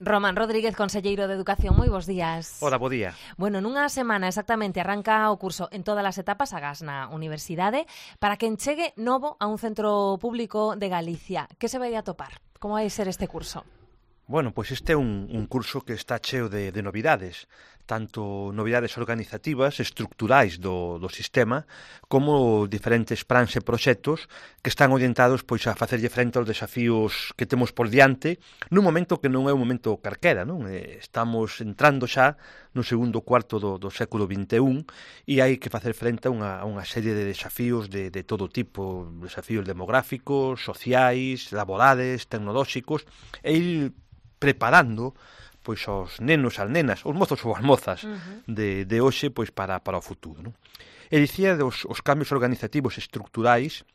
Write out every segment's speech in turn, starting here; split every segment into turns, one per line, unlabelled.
Román Rodríguez, conselleiro de Educación, moi bons días.
Hola, bo día.
Bueno, nunha semana exactamente arranca o curso en todas as etapas, agás na universidade, para quen chegue novo a un centro público de Galicia. Que se vai a topar? Como vai ser este curso?
Bueno, pois este é un curso que está cheo de novidades, tanto novidades organizativas, estructurais do sistema, como diferentes plans e proxectos que están orientados pois a facerlle frente aos desafíos que temos por diante nun momento que non é un momento carquera, non? Estamos entrando xa no segundo cuarto do século XXI e hai que facer frente a unha serie de desafíos de todo tipo, desafíos demográficos, sociais, laborales, tecnolóxicos, e ir preparando pois os nenos, as nenas, os mozos ou as mozas de hoxe pois para o futuro, non? E dicía os cambios organizativos estructurais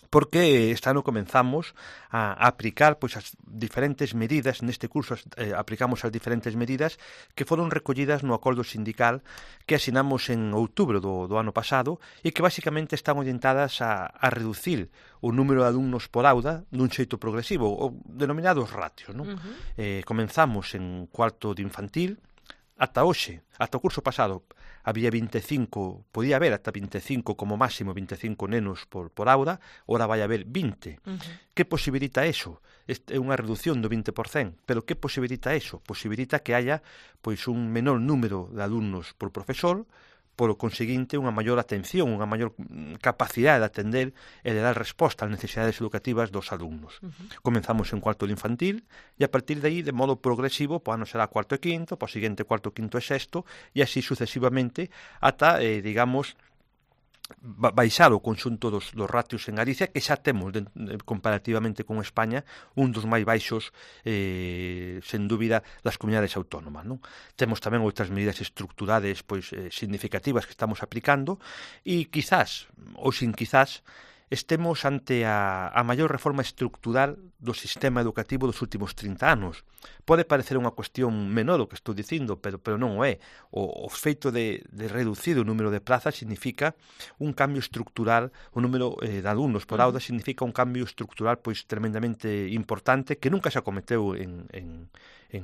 porque este ano comenzamos a aplicar pois as diferentes medidas, neste curso aplicamos as diferentes medidas que foron recollidas no acordo sindical que asinamos en outubro do ano pasado e que basicamente están orientadas a reducir o número de alumnos por aula dun xeito progresivo, o denominados ratios, non? Comenzamos en cuarto de infantil, ata hoxe, ata o curso pasado, había 25, podía haber ata 25, como máximo 25 nenos por aula, ora vai haber 20. Que posibilita eso? É unha reducción do 20%, pero que posibilita eso? Posibilita que haya pois un menor número de alumnos por profesor, por conseguinte unha maior atención, unha maior capacidade de atender e de dar resposta ás necesidades educativas dos alumnos. Comenzamos en cuarto de infantil e a partir de aí, de modo progresivo, po ano será cuarto e quinto, po seguinte cuarto, quinto e sexto e así sucesivamente ata, digamos, baixar o conxunto dos ratios en Galicia, que xa temos comparativamente con España un dos máis baixos sen dúbida das comunidades autónomas, non? Temos tamén outras medidas estructurales pois significativas que estamos aplicando e quizás, ou sin quizás, estemos ante a maior reforma estructural do sistema educativo dos últimos 30 anos. Pode parecer unha cuestión menor o que estou dicindo, pero non o é. O feito de reducir o número de plazas significa un cambio estructural, o número de alumnos por aula significa un cambio estructural pois tremendamente importante que nunca se acometeu en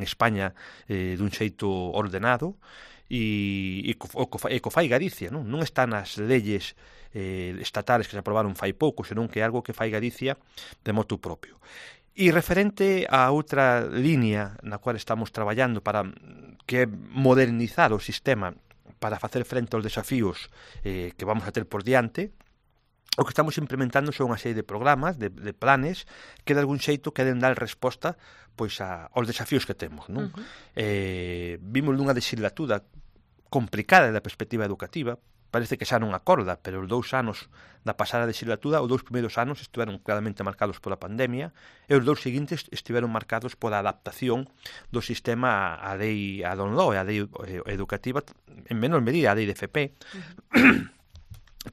España dun xeito ordenado e co fai Galicia, non está nas leyes estatales que se aprobaron fai pouco, senón que é algo que fai Galicia de motu propio. E referente a outra línea na cual estamos traballando para que é modernizar o sistema para facer frente aos desafíos que vamos a ter por diante, o que estamos implementando son unha serie de programas, de planes, que de algún xeito queren dar resposta pois aos desafíos que temos, non? Vimos nunha legislatura complicada da perspectiva educativa, parece que xa non acorda, pero os 2 anos da pasada legislatura, os 2 primeiros anos estiveron claramente marcados pola pandemia e os 2 seguintes estiveron marcados pola adaptación do sistema á lei, a LOMLOE, a lei educativa, en menor medida a lei de FP.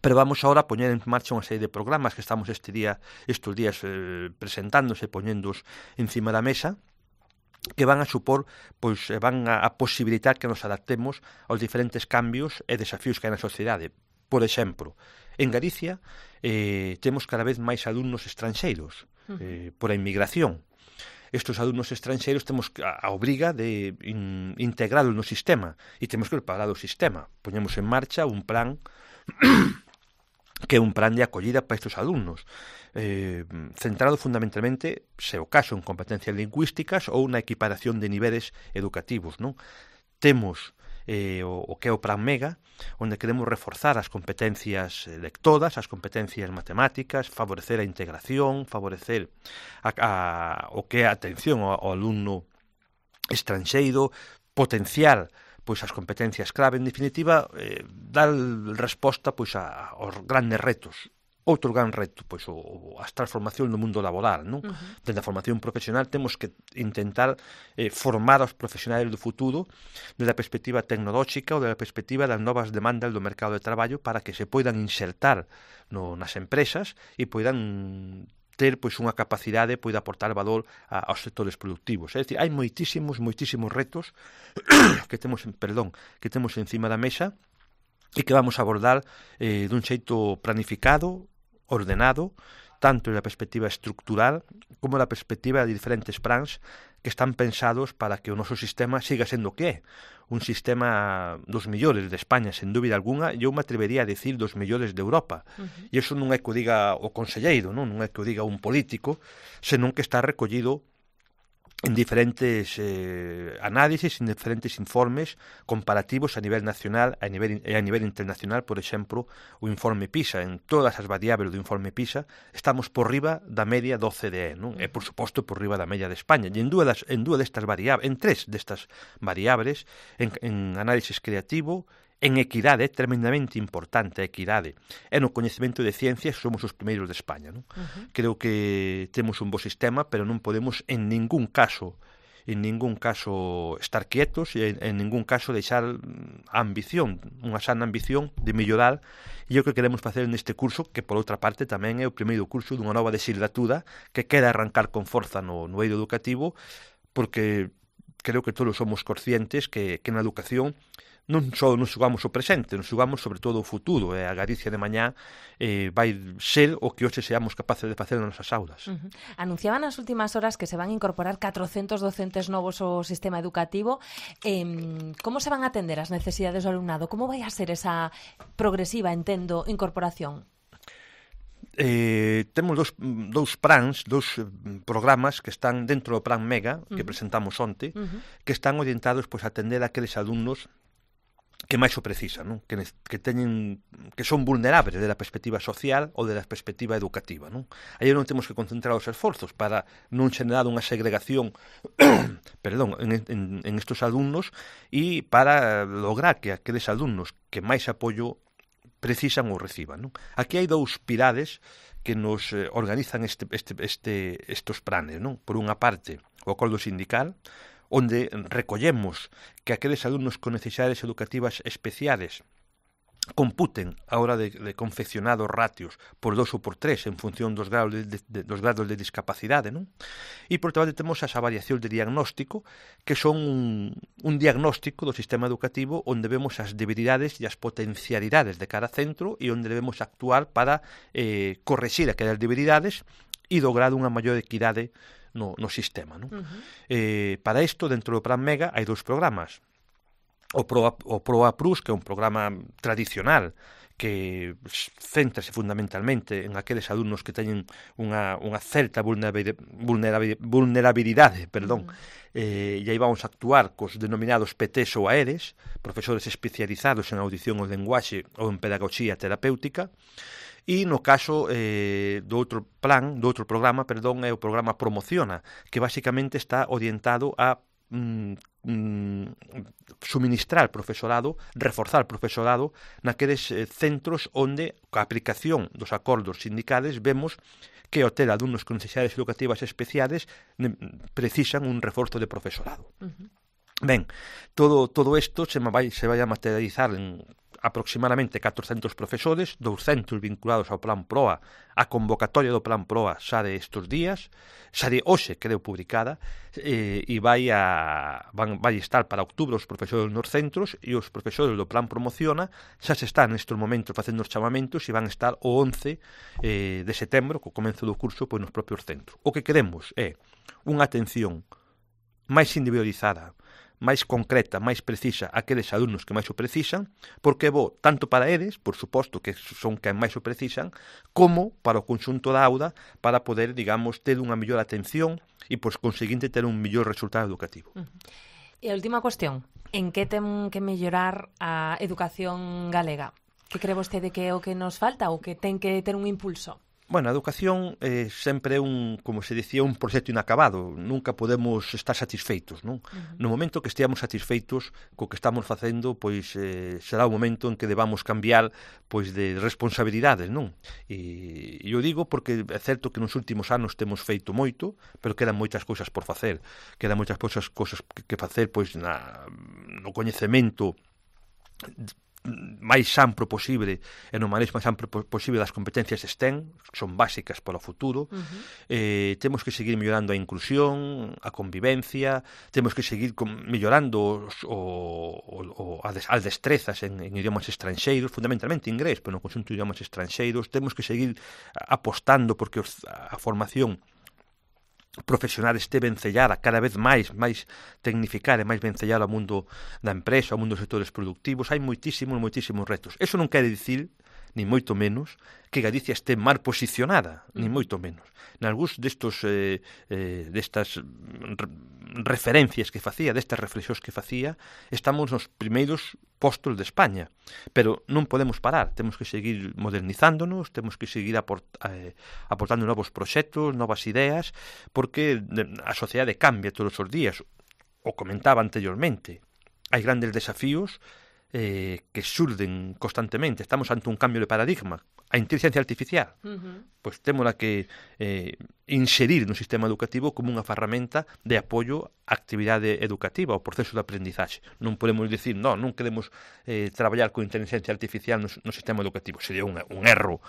Pero vamos agora a poñer en marcha unha serie de programas que estamos estes días presentándose, poñéndoos encima da mesa, que van a supor, pois van a posibilitar que nos adaptemos aos diferentes cambios e desafíos que hai na sociedade. Por exemplo, en Galicia temos cada vez máis alumnos estranxeiros por a inmigración. Estes alumnos estranxeiros temos a obriga de integralos no sistema e temos que preparar o sistema. Poñemos en marcha un plan que é un plan de acollida para estes alumnos, centrado fundamentalmente, se o caso, en competencias lingüísticas ou na equiparación de niveles educativos, non? Temos o que é o Plan Mega, onde queremos reforzar as competencias lectoras, as competencias matemáticas, favorecer a integración, favorecer o que é a atención ao alumno estranxeiro, potenciar pois as competencias clave, en definitiva, dar resposta pois aos grandes retos. Outro gran reto, pois as transformacións no mundo laboral, non? Desde a formación profesional temos que intentar formar aos profesionais do futuro desde a perspectiva tecnolóxica ou desde a perspectiva das novas demandas do mercado de traballo para que se poidan insertar nas empresas e poidan ter pois unha capacidade poida aportar valor aos sectores productivos. É dicir, hai moitísimos retos que temos encima da mesa e que vamos a abordar dun xeito planificado, ordenado, tanto na perspectiva estructural como na perspectiva de diferentes plans que están pensados para que o noso sistema siga sendo o que é. Un sistema dos millores de España, sen dúbida alguna, e eu me atrevería a decir dos millores de Europa. E iso non é que o diga o conselleiro, non é que o diga un político, senón que está recollido en diferentes análisis, en diferentes informes comparativos a nivel nacional e a nivel internacional. Por exemplo, o informe PISA, en todas as variables do informe PISA, estamos por riba da media do OCDE, non? E, por suposto, por riba da media de España. E en tres destas variables, en análisis creativo, en equidade, é tremendamente importante a equidade, e no coñecemento de ciencias somos os primeiros de España, non? Creo que temos un bo sistema, pero non podemos en ningún caso estar quietos e en ningún caso deixar a ambición, unha sana ambición de mellorar, e o que queremos facer neste curso, que por outra parte tamén é o primeiro curso dunha nova legislatura que queda arrancar con forza no eido educativo, porque creo que todos somos conscientes que na educación non só nos xugamos o presente, nos xugamos sobre todo o futuro, e a Galicia de mañá vai ser o que hoxe seamos capaces de facer nas nosas aulas.
Anunciaban nas últimas horas que se van a incorporar 400 docentes novos ao sistema educativo. Como se van a atender as necesidades do alumnado? Como vai a ser esa progresiva, entendo, incorporación?
Temos dous programas que están dentro do Plan Mega, que presentamos onte, que están orientados a atender a aqueles alumnos que máis o precisan, non? Que son vulnerables desde a perspectiva social ou desde a perspectiva educativa, non? Aí non temos que concentrar os esforzos para non xenerar unha segregación en estos alumnos e para lograr que aqueles alumnos que máis apoio precisan ou reciban, non? Aquí hai dous pilares que nos organizan estos planes, non? Por unha parte, o acordo sindical, onde recollemos que aqueles alumnos con necesidades educativas especiales computen a hora de confeccionar os ratios por 2 ou por 3 en función dos grados de discapacidade, non? E por outra parte temos as avaliacións de diagnóstico, que son un diagnóstico do sistema educativo onde vemos as debilidades e as potencialidades de cada centro e onde debemos actuar para correxir aquelas debilidades e lograr unha maior equidade no sistema, non? Para isto, dentro do Plan Mega, hai dous programas. O PROA Plus, que é un programa tradicional que céntrase fundamentalmente en aqueles alumnos que teñen unha certa vulnerabilidade, e aí vamos a actuar cos denominados PTs ou AERES, profesores especializados en audición ou lenguaxe ou en pedagogía terapéutica. E no caso do outro programa, é o programa Promociona, que basicamente está orientado a suministrar profesorado, reforzar profesorado naqueles centros onde, coa aplicación dos acordos sindicales, vemos que ao ter alumnos con necesidades educativas especiales precisan un reforzo de profesorado. Ben, todo isto se vai a materializar en aproximadamente 400 profesores, 200 vinculados ao Plan PROA. A convocatoria do Plan PROA xa de estes días, xa de hoxe, creo, publicada, e vai estar para outubro os profesores nos centros, e os profesores do Plan Promociona xa se están nestes momentos facendo os chamamentos e van estar o 11 de setembro, co comenzo do curso, nos propios centros. O que queremos é unha atención máis individualizada, máis concreta, máis precisa aqueles alumnos que máis o precisan, porque é bo tanto para eles, por suposto que son quen máis o precisan, como para o conxunto da auda, para poder, digamos, ter unha mellor atención e, por conseguinte, ter un mellor resultado educativo.
E a última cuestión, en que ten que mellorar a educación galega? Que cree vostede que é o que nos falta ou que ten que ter un impulso?
Bueno, a educación sempre é como se dicía, un proxecto inacabado. Nunca podemos estar satisfeitos, non? No momento que esteamos satisfeitos co que estamos facendo, será o momento en que debamos cambiar de responsabilidades, non? E eu digo porque é certo que nos últimos anos temos feito moito, pero quedan moitas cousas por facer. Quedan moitas cousas que facer no coñecemento máis amplo posible e no manejo máis amplo posible das competencias STEM, que son básicas para o futuro. Temos que seguir mellorando a inclusión, a convivencia, temos que seguir mellorando as destrezas en idiomas estranxeiros, fundamentalmente inglés, pero no conxunto de idiomas estranxeiros. Temos que seguir apostando porque a formación profesional este vencellada cada vez máis tecnificada e máis vencellada ao mundo da empresa, ao mundo dos sectores productivos. Hai moitísimos retos. Eso non quere dicir, ni moito menos, que Galicia este mal posicionada, ni moito menos. Nalgúns destas referencias que facía, destas reflexións que facía, estamos nos primeiros postos de España, pero non podemos parar, temos que seguir modernizándonos, temos que seguir aportando novos proxectos, novas ideas, porque a sociedade cambia todos os días. O comentaba anteriormente, hai grandes desafíos que xurden constantemente. Estamos ante un cambio de paradigma. A inteligencia artificial, pois témola que inserir no sistema educativo como unha ferramenta de apoio á actividade educativa, ao proceso de aprendizaxe. Non podemos dicir, non queremos traballar con inteligencia artificial no sistema educativo. Sería un erro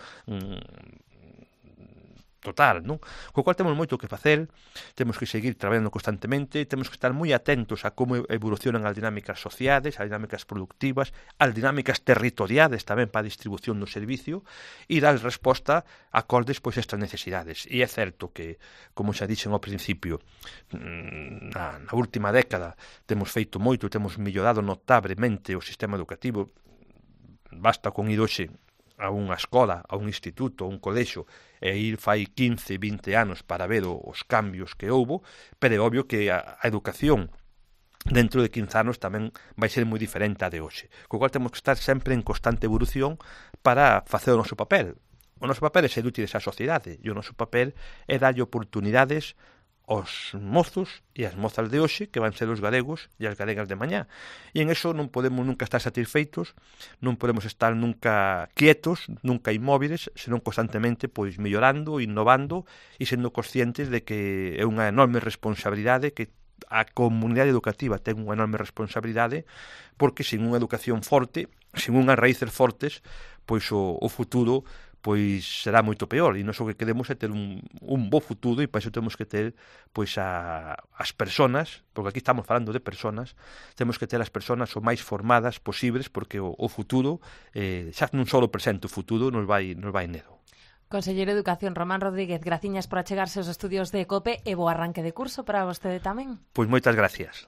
total, non? Co cual temos moito que facer, temos que seguir traballando constantemente, temos que estar moi atentos a como evolucionan as dinámicas sociais, as dinámicas productivas, as dinámicas territoriales tamén para a distribución do servicio e dar resposta acordes pois a estas necesidades. E é certo que, como xa dixen ao principio, na última década temos feito moito, temos mellorado notablemente o sistema educativo. Basta con ir hoxe a unha escola, a un instituto, a un colexo, e ir fai 15, 20 anos para ver os cambios que houbo, pero é obvio que a educación dentro de 15 anos tamén vai ser moi diferente a de hoxe. Co cual temos que estar sempre en constante evolución para facer o noso papel. O noso papel é ser útiles á sociedade, e o noso papel é darlle oportunidades os mozos e as mozas de hoxe, que van ser os galegos e as galegas de mañá. E en eso non podemos nunca estar satisfeitos, non podemos estar nunca quietos, nunca inmóviles, senón constantemente pois mellorando, innovando e sendo conscientes de que é unha enorme responsabilidade, que a comunidade educativa ten unha enorme responsabilidade, porque sin unha educación forte, sin unhas raíces fortes, pois o futuro pois será moito peor, e nós o que queremos é ter un bo futuro, e para iso temos que ter pois as persoas, porque aquí estamos falando de persoas, temos que ter as persoas o máis formadas posibles, porque o futuro xa non só o presente, o futuro nos vai nedo.
Conselleiro de Educación Román Rodríguez, graciñas por achegarse aos estudios de COPE e bo arranque de curso para vostede tamén.
Pois moitas gracias.